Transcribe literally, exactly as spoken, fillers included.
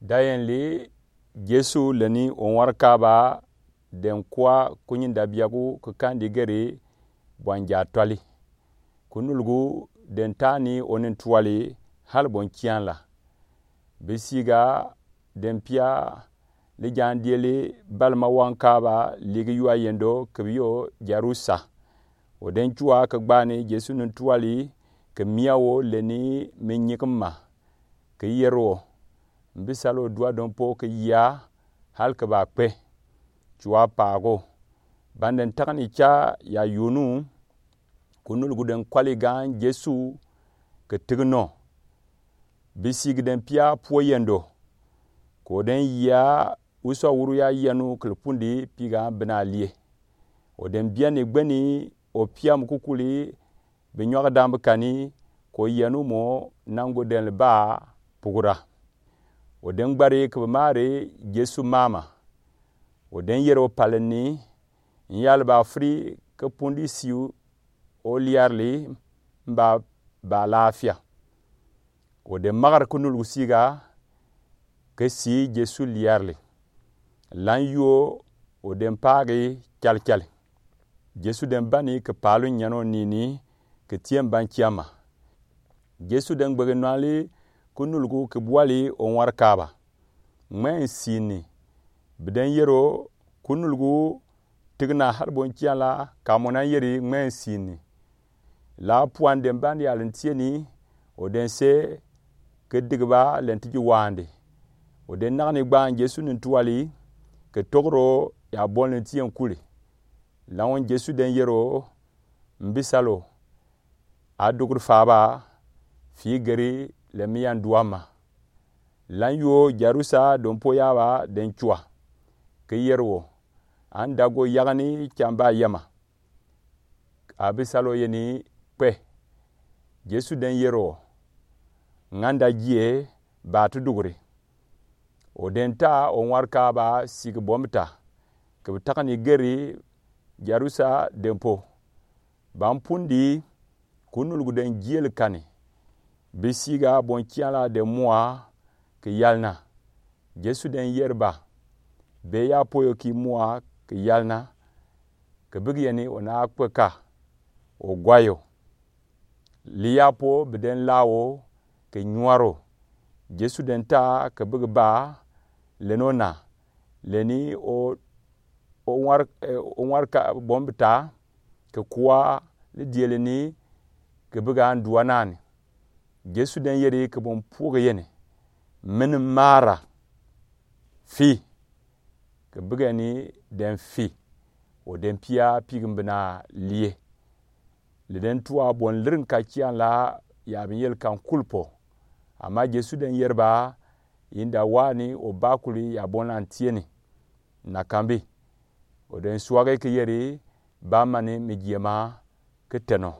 Dayɛn li, Jesu lɛ ni onwarkaba den kua kunyi ndabiagu ke kandi geri bwanjatɔli. Kunulgu den tani onintuali hali bonkianla. Bisiga den pia li jaan dieli bali ma wankaba ligi yua yendo ke bi yo Jarusa. O den cua ke gbani Jesu nintuali ke mia wo lɛ ni mi nyikima ke yeri o, mbisalo dua dompo ke yia hali ke ba kpe. Cua paago. Bani den takani ca ya yunu, kunulgu den kwali gaan Jesu ke tig no. Bisigi den pia puo yendo. Ko den yia usu awuru ya yanu ke li pundi pi gaan bina lie. O den biani gbeni o pia mu kukuli bi nyɔge dambi kani ko yanu mo nangu den li ba pugura. O den gbari ke bi mari Jesu mama. O den yeri o pali ni, n yali ba firi ke pundi si o liarli mba ba laafia. O den magari kunulgu siga ke si Jesu liarli. Lan yuo o den paagi calical. Jesu den bani ke paalu nyano nini ke tie mbankiama. Jesu den gbegi nɔali kunulgu ke buali onwarkaba. Ŋmɛn sini. Bi den yero kunulgu tigina hali bonkiala ka mo nan yeri ŋmɛn sini. La puan den bani yalin tieni o den se ke digiba len tiji wande. O den nagani gban Jesu nintuali ke togro ya bon len tien kuli. Lan won Jesu den yero mbisalo a duguri faba fii geri le mi yan duama. Lan yuo Jarusa dompo yaba den cua ke yeri wo. An dago yagani camba yama. A bisalo yeni kpe. Jesu den yeri wo. Ŋanda jie ba tu duguri. O den ta o ŋwarka ba sigi bomta ke bi takani geri Jarusa dempo. Ban pundi kunulgu den jiel kani. Bisiga bonkiala den mua ke yalna. Jesu den yeri ba. Be ya poyo ki mua ke yalna. Ke bigi yeni o na kpeka o gwayo. Li ya po bi den lawo ke nyuaro. Jesu den ta ke bigi ba leno na leni o o ŋwar o ŋwarka bombi ta ke kua li dieli ni ke bigi an dua nani. Jesu den yeri ke bon puge yeni mini mara fi ke bigi ni den fi o den pia pigi mbina lie. Li den tua bon lirin kakian la ya bin yel kan kulpo. Ama Jesu den yeri ba inda wani o bakuli ya bon lan tieni. Na kambi o den suage ke yeri ba mani mi jiema ke teno.